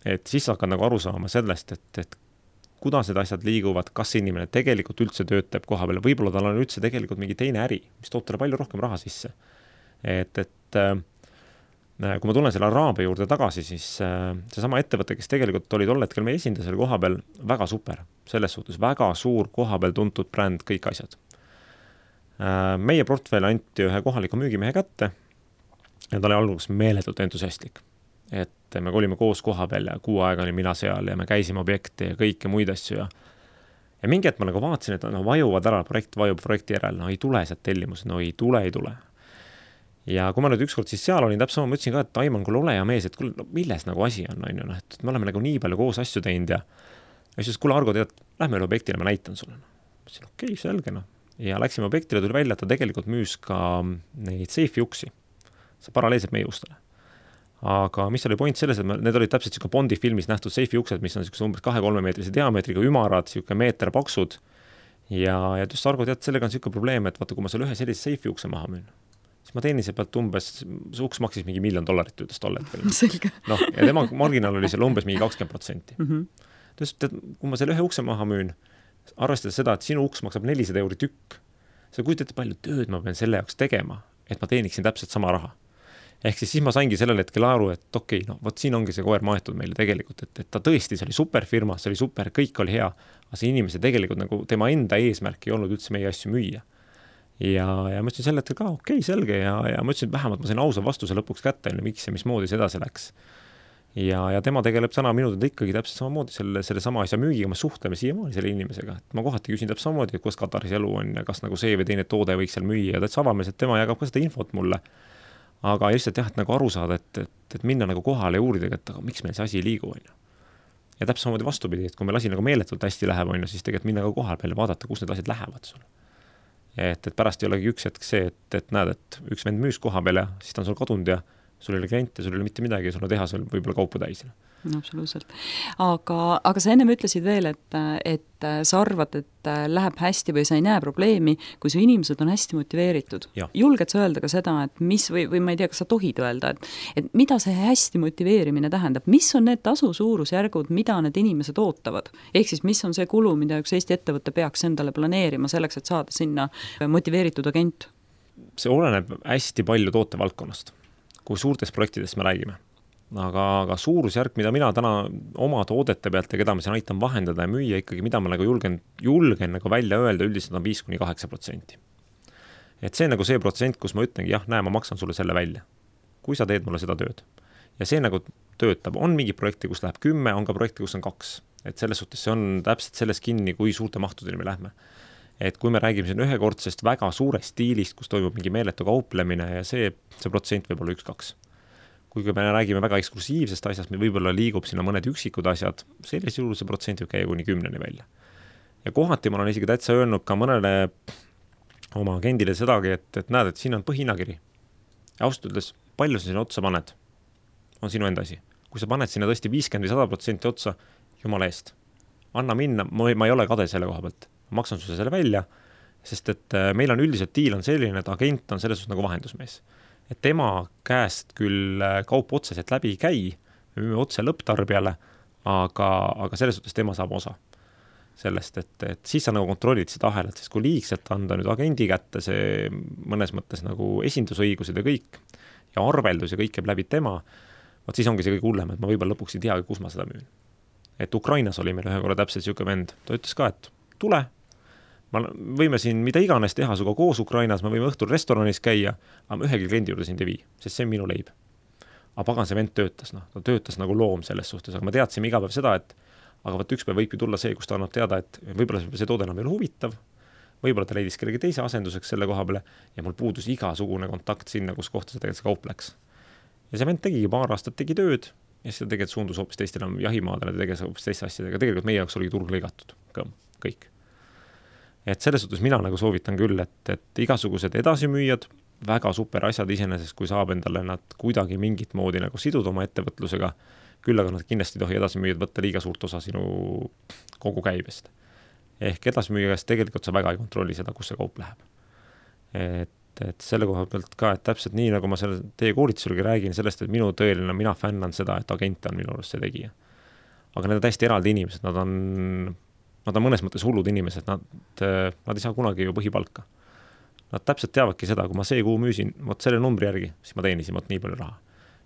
Et siis hakkad nagu aru saama sellest, et, et kuidas need asjad liiguvad, kas inimene tegelikult üldse töötab koha peal, võib-olla tal on üldse tegelikult mingi teine äri, mis toob talle palju rohkem raha sisse. Et, et kui ma tulen selle Araabia juurde tagasi, siis seesama ettevõte, kes tegelikult oli tol hetkel meie esindasel koha peal, väga super. Selles suhtes väga suur koha peal tuntud bränd, kõik asjad. Meie portfell anti ühe kohaliku müügimehe kätte ja ta oli alguses meeletult entusiastlik. Et me olime koos koha peal ja kuu aega oli mina seal ja me käisime objekti ja kõike muid asju. Ja, ja mingi hetk ma nagu vaatasin, et no, vajuvad ära, projekt vajub projekti järel, no ei tule sealt tellimus, no ei tule, ei tule. Ja kui ma nüüd ükskord siis seal olin, täpselt sama, ma ütlesin ka, et Aiman, kuule ole ja mees, et kuule, no, milles nagu asi on, on ju, no, et me oleme nagu nii palju koos asju teinud ja ja siis, kuule Argo, tead, lähme üle objektile, ma näitan sulle. Ma ütlesin, okei, okay, selge, no. Ja läksime objektile, tuli välja, et ta tegelikult müüs ka neid seifi uksi. See paralleelselt meie ustele. Aga mis oli point selles, et me, need olid täpselt siuke Bondi filmis nähtud seifi uksed, mis on siukse umbes kahe-kolme meetrise diameetriga ümarad, siuke meeter paksud. Ja, ja just Argo, tead, sellega on siuke probleem, et vaata, kui ma seal ühe sellise seifi ukse maha müün, siis ma teenin see pealt umbes, see uks maksis mingi miljon dollarit ütles tollet. Selge. No, ja tema marginaal oli seal umbes mingi kakskümmend protsenti. Mm -hmm. Tõest, tead, kui ma selle ühe ukse maha müün, arvestades seda, et sinu uks maksab nelisada euri tükk, sa kujutate palju tööd ma pean selle jaoks tegema, et ma teeniksin täpselt sama raha. Ehk siis, siis ma saingi sellel hetkel aru, et okei, okay, no vot siin ongi see koer maetud meile tegelikult, et, et ta tõesti, see oli super firma, see oli super, kõik oli hea, aga see inimese tegelikult nagu tema enda eesmärk ei olnud üldse meie asju müüa. Ja, ja ma ütlesin selle hetkel ka, okei, okay, selge, ja, ja ma ütlesin, et vähemalt ma sain ausa vastuse lõpuks kätte, miks ja mismoodi see edasi läks. Ja, ja tema tegeleb täna minutud ikkagi täpselt samamoodi selle, selle sama asja müügiga, me suhtleme siiamaani selle inimesega. Et ma kohati küsin täpselt samamoodi, et kuidas Kataris elu on ja kas nagu see või teine toode võiks seal müüa ja täitsa avamees, et tema jagab ka seda infot mulle. Aga lihtsalt jah, et nagu aru saada, et, et, et minna nagu kohale ja uurida, et aga miks meil see asi ei liigu, on ju. Ja täpselt samamoodi vastupidi, et kui meil asi nagu meeletult hästi läheb, on ju, siis tegelikult minna ka kohal peale vaadata, kus need asjad lähevad sul. Et, et pärast ei olegi üks hetk see, et, et näed, et üks vend müüs koha peale ja siis ta on sul kadunud ja sul ei ole kliente, sul ei ole mitte midagi, sul on tehas veel võib-olla kaupu täis. No, absoluutselt. Aga, aga sa ennem ütlesid veel, et, et sa arvad, et läheb hästi või sa ei näe probleemi, kui su inimesed on hästi motiveeritud. Julged sa öelda ka seda, et mis või, või ma ei tea, kas sa tohid öelda, et, et mida see hästi motiveerimine tähendab, mis on need tasu suurusjärgud, mida need inimesed ootavad? Ehk siis, mis on see kulu, mida üks Eesti ettevõte peaks endale planeerima selleks, et saada sinna motiveeritud agent? See oleneb hästi palju tootevaldkonnast, kui suurtest projektidest me räägime. Aga, aga suurusjärk, mida mina täna oma toodete pealt ja keda ma siin aitan vahendada ja müüa ikkagi, mida ma nagu julgen, julgen nagu välja öelda, üldiselt on viis kuni kaheksa protsenti. Et see on nagu see protsent, kus ma ütlengi, jah, näe, ma maksan sulle selle välja, kui sa teed mulle seda tööd. Ja see nagu töötab. On mingi projekti, kus läheb kümme, on ka projekti, kus on kaks. Et selles suhtes see on täpselt selles kinni, kui suurte mahtudeni me lähme. Et kui me räägime siin ühekordsest väga suurest stiilist, kus toimub mingi meeletu kauplemine ja see, see protsent võib olla üks kaks. Kui me räägime väga eksklusiivsest asjast, meil võib-olla liigub sinna mõned üksikud asjad, selles juhul see protsent võib käia kuni kümneni välja. Ja kohati ma olen isegi täitsa öelnud ka mõnele oma agendile sedagi, et, et näed, et siin on põhihinnakiri. Ja ausalt ütles, palju sa sinna otsa paned, on sinu enda asi. Kui sa paned sinna tõesti viiskümmend või sada protsenti otsa, jumala eest, anna minna, ma ei, ma ei ole kade selle koha pealt, ma maksan sulle selle välja, sest et meil on üldiselt diil on selline, et agent on selles suhtes nagu vahendusmees. Et tema käest küll kaup otseselt läbi ei käi, me müüme otse lõpptarbijale, aga, aga selles suhtes tema saab osa sellest, et, et siis sa nagu kontrollid seda ahelat, sest kui liigselt anda nüüd agendi kätte see mõnes mõttes nagu esindusõigused ja kõik ja arveldus ja kõik jääb läbi tema, vaat siis ongi see kõik hullem, et ma võib-olla lõpuks ei teagi, kus ma seda müün. Et Ukrainas oli meil ühe korra täpselt siuke vend, ta ütles ka, et tule, ma võime siin mida iganes teha suga koos Ukrainas, me võime õhtul restoranis käia, aga ma ühegi kliendi juurde sind ei vii, sest see on minu leib. Aga pagan see vend töötas, no. Ta töötas nagu loom selles suhtes, aga me teadsime iga päev seda, et aga võt üks päev võibki tulla see, kus ta annab teada, et võib-olla see toode enam ei ole huvitav, võib-olla ta leidis kellegi teise asenduseks selle koha peale ja mul puudus igasugune kontakt sinna, kus kohta see tegelikult see kaup läks. Ja see vend tegigi paar aastat, tegi tööd ja siis ta tegelikult suundus hoopis teistele jahimaadele, ta teges hoopis teiste asjadega. Tegelikult meie jaoks oli turg lõigatud, kõik. Et selles suhtes mina nagu soovitan küll, et, et igasugused edasimüüjad, väga super asjad iseenesest, kui saab endale nad kuidagi mingit moodi nagu siduda oma ettevõtlusega, küll aga nad kindlasti tohi edasimüüjad võtta liiga suurt osa sinu kogu käibest. Ehk edasimüüja käest tegelikult sa väga ei kontrolli seda, kus see kaup läheb. Et, et selle koha pealt ka, et täpselt nii, nagu ma selle teie koolitusulgi räägin sellest, et minu tõeline, mina fännan seda, et agent on minu arust see tegija. Aga need on täiesti eraldi inimesed, nad on... Nad on mõnes mõttes hullud inimesed, nad, nad ei saa kunagi ju põhipalka. Nad täpselt teavadki seda, kui ma see kuu müüsin, võt selle numbri järgi, siis ma teenisin võt nii palju raha.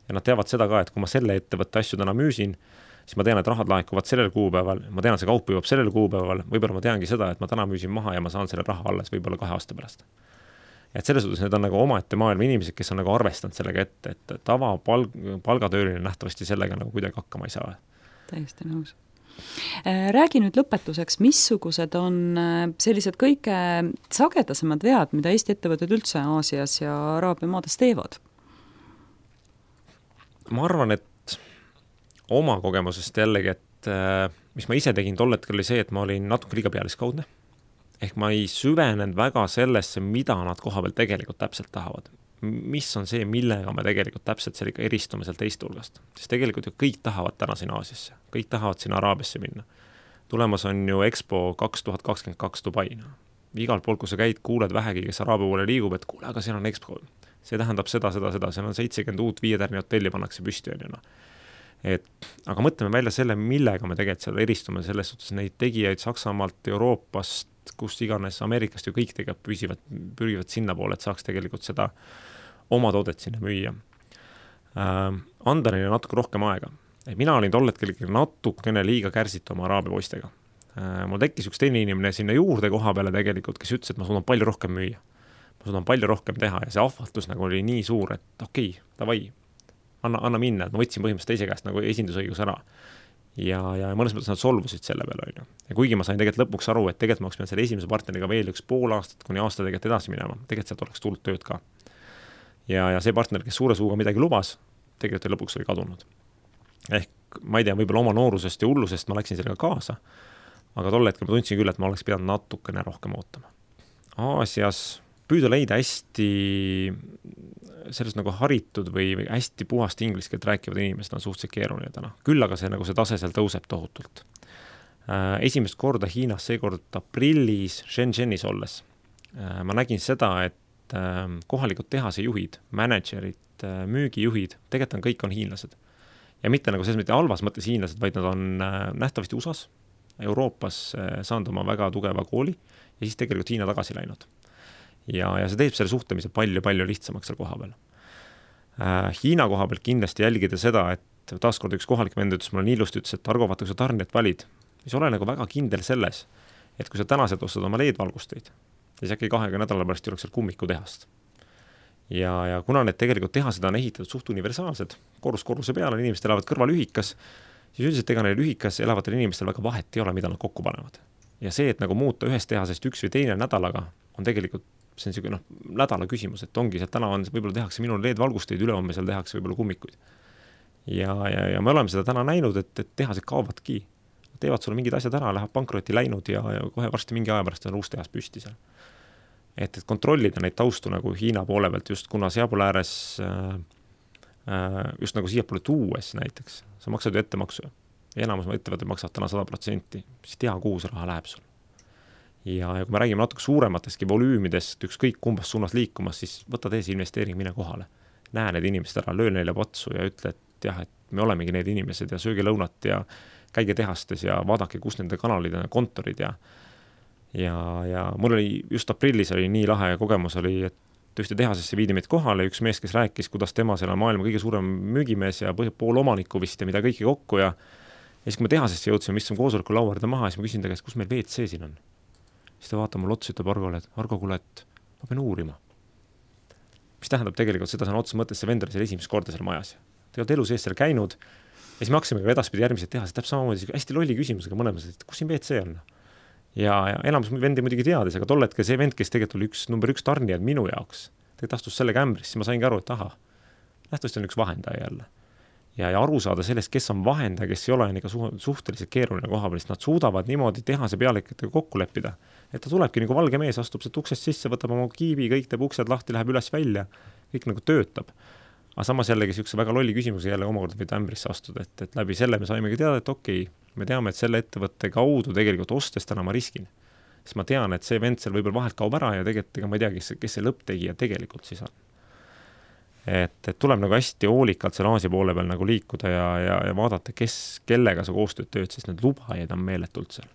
Ja nad teavad seda ka, et kui ma selle ettevõtte asju täna müüsin, siis ma tean, et rahad laekuvad sellel kuupäeval, ma tean, et see kaup jõuab sellel kuupäeval, võib-olla ma teangi seda, et ma täna müüsin maha ja ma saan selle raha alles võib-olla kahe aasta pärast. Et selles suhtes need on nagu omaette maailma inimesed, kes on nagu arvestanud sellega ette, et tava palg, palgatööline nähtavasti sellega nagu kuidagi hakkama ei saa. Täiesti nõus. Räägi nüüd lõpetuseks, missugused on sellised kõige sagedasemad vead, mida Eesti ettevõtted üldse Aasias ja Araabia maades teevad? Ma arvan, et oma kogemusest jällegi, et mis ma ise tegin tol hetkel oli see, et ma olin natuke liiga pealiskaudne. Ehk ma ei süvenenud väga sellesse, mida nad koha peal tegelikult täpselt tahavad. Mis on see, millega me tegelikult täpselt seal ikka eristume seal teist hulgast. Sest tegelikult ju kõik tahavad täna siin Aasiasse, kõik tahavad siin Araabiasse minna. Tulemas on ju Expo kaks tuhat kakskümmend kaks Dubai. Igal pool, kui sa käid, kuuled vähegi, kes Araabia poole liigub, et kuule, aga seal on Expo. See tähendab seda, seda, seda, seal on seitsekümmend uut viietärni hotelli pannakse püsti. On ju, no. Et, aga mõtleme välja selle, millega me tegelikult seal eristume, selles suhtes neid tegijaid Saksamaalt, Euroopast, kus iganes Ameerikast ju kõik tegelikult püsivad, pürgivad sinna poole, et saaks tegelikult seda oma toodet sinna müüa. Äh, anda neile natuke rohkem aega. Et mina olin tol hetkel natukene liiga kärsitu oma Araabia poistega. Äh, mul tekkis üks teine inimene sinna juurde koha peale tegelikult, kes ütles, et ma suudan palju rohkem müüa. Ma suudan palju rohkem teha ja see ahvatlus nagu oli nii suur, et okei, davai, anna, anna minna. Ma võtsin põhimõtteliselt teise käest nagu esindusõigus ära. Ja, ja mõnes mõttes nad solvusid selle peale. On ju. Ja kuigi ma sain tegelikult lõpuks aru, et tegelikult ma oleks selle esimese partneriga veel üks pool aastat, kuni aasta tegelikult edasi minema. Tegelikult sealt oleks tulnud tööd ka. Ja, ja see partner, kes suure suuga midagi lubas, tegelikult lõpuks oli kadunud. Ehk ma ei tea, võib-olla oma noorusest ja hullusest ma läksin sellega kaasa, aga tol hetkel ma tundsin küll, et ma oleks pidanud natukene rohkem ootama. Aasias püüda leida hästi sellest nagu haritud või, või hästi puhast inglise keelt rääkivad inimesed on suhteliselt keeruline täna. Küll aga see, nagu see tase seal tõuseb tohutult. Äh, esimest korda Hiinas, seekord aprillis Shenzhenis olles, äh, ma nägin seda, et äh, kohalikud tehase juhid, managerid, äh, müügijuhid, tegelikult on kõik on hiinlased. Ja mitte nagu selles mitte halvas mõttes hiinlased, vaid nad on äh, nähtavasti U S A-s, Euroopas äh, saanud oma väga tugeva kooli ja siis tegelikult Hiina tagasi läinud. Ja, ja see teeb selle suhtlemise palju-palju lihtsamaks seal koha peal. Äh, Hiina koha peal kindlasti jälgida seda, et taaskord üks kohalik vend ütles, mulle nii ilusti ütles, et Argo, vaata, kui sa tarnijat valid, siis ole nagu väga kindel selles, et kui sa tänased ostad oma L E D-valgusteid, siis äkki kahega nädala pärast juleks seal kummiku tehast. Ja, ja kuna need tegelikult tehased on ehitatud suht universaalsed, korrus korruse peale, inimesed elavad kõrval ühikas, siis üldiselt ega neil ühikas elavatel inimestel väga vahet ei ole, mida nad kokku panevad. Ja see, et nagu muuta ühest tehasest üks või teine nädalaga, on tegelikult see on selline noh, nädala küsimus, et ongi seal täna on, võib-olla tehakse minul L E D-valgusteid, ülehomme seal tehakse võib-olla kummikuid. Ja, ja, ja me oleme seda täna näinud, et, et tehased kaovadki. Teevad sulle mingid asjad ära, läheb pankrotti läinud ja, ja kohe varsti mingi aja pärast on uus tehas püsti seal. Et, et kontrollida neid taustu nagu Hiina poole pealt, just kuna seapoole ääres äh, äh, just nagu siiapoole tuues näiteks, sa maksad ju ettemaksu ja enamus ettevõtted maksavad täna sada protsenti, siis tea, kuhu see raha läheb sul. Ja, ja kui me räägime natuke suuremateski volüümidest, ükskõik kumbas suunas liikumas, siis võta teesi investeering, mine kohale. Näe need inimesed ära, löö neile patsu ja ütle, et jah, et me olemegi need inimesed ja sööge lõunat ja käige tehastes ja vaadake, kus nende kanalid ja kontorid ja ja, ja mul oli just aprillis oli nii lahe kogemus oli, et ühte tehasesse viidi meid kohale, üks mees, kes rääkis, kuidas tema seal on maailma kõige suurem müügimees ja pool omaniku vist ja mida kõike kokku ja ja siis kui me tehasesse jõudsime, mis on koosoleku lauarda maha, siis ma küsin ta käest, kus meil V C siin on. Siis ta vaatab mul otsa, ütleb Argole, et Argo, kuule, et ma pean uurima. Mis tähendab tegelikult seda, see on otsa mõttes see vendor seal esimest korda seal majas. Te olete elu sees seal käinud ja siis me hakkasime ka edaspidi järgmised tehased, täpselt samamoodi hästi lolli küsimusega mõlemas, et kus siin V C on? Ja, ja enamus vendi muidugi teadis, aga tol hetkel see vend, kes tegelikult oli üks number üks tarnijad minu jaoks, tegelikult astus selle kämbris, siis ma saingi aru, et aha, nähtavasti on üks vahendaja jälle. Ja, ja aru saada sellest, kes on vahendaja, kes ei ole on ikka su suhteliselt keeruline koha peal, nad suudavad niimoodi tehase pealikatega kokku leppida, et ta tulebki nagu valge mees, astub sealt uksest sisse, võtab oma kiibi, kõik teeb uksed lahti, läheb üles välja, kõik nagu töötab. Aga samas jällegi siukse väga lolli küsimuse jälle omakorda võid ämbrisse astuda, et, et läbi selle me saimegi teada, et okei, me teame, et selle ettevõtte kaudu tegelikult ostes täna ma riskin. Siis ma tean, et see vend seal võib-olla vahelt kaob ära ja tegelikult ega ma ei tea, kes, kes see lõpptegija tegelikult siis on. Et, et tuleb nagu hästi hoolikalt seal Aasia poole peal nagu liikuda ja, ja, ja vaadata, kes, kellega sa koostööd tööd, sest need lubajaid on meeletult seal.